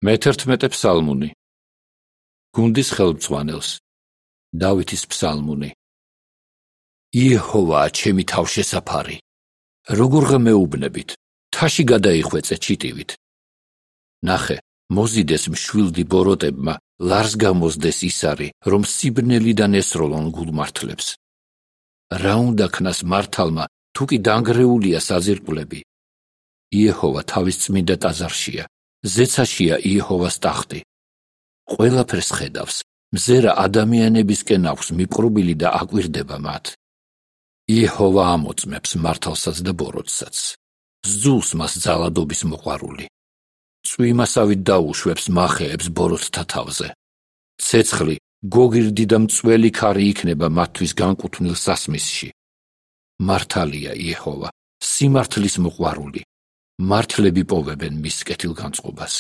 მე-11 ფსალმუნი. გუნდის ხელმძღვანელს. დავითის ფსალმუნი. იეჰოვაა ჩემი თავშესაფარი. როგორ ღმეუბნებით, თაში გადაიხვეწე ჩიტივით. ნახე, მოზიდეს მშვილდი ბოროტებმა, ლარს გამოზდეს ისარი, რომ სიბნელიდან ესროლონ გულმართლებს. რა უნდა ქნას მართალმა, თუ კი დანგრეულია საძირკვლები? იეჰოვა თავის წმინდა ტაძარშია, ზეცაშია იეჰოვას ტახტი. ყველაფერს ხედავს, მზერა ადამიანებისკენ აქვს მიპყრობილი და აკვირდება მათ. იეჰოვა ამოწმებს მართალსაც და ბოროტსაც. ზძულს მას ძალადობის მოყვარული. წვიმასავით დაუშვებს მახეებს ბოროტთა თავზე. ცეცხლი, გოგირდი და მწველი ქარი იქნება მათთვის განკუთვნილ სასმისში. მართალია იეჰოვა, სიმართლის მოყვარული. მართლები პოვებენ მის კეთილგანწყობას.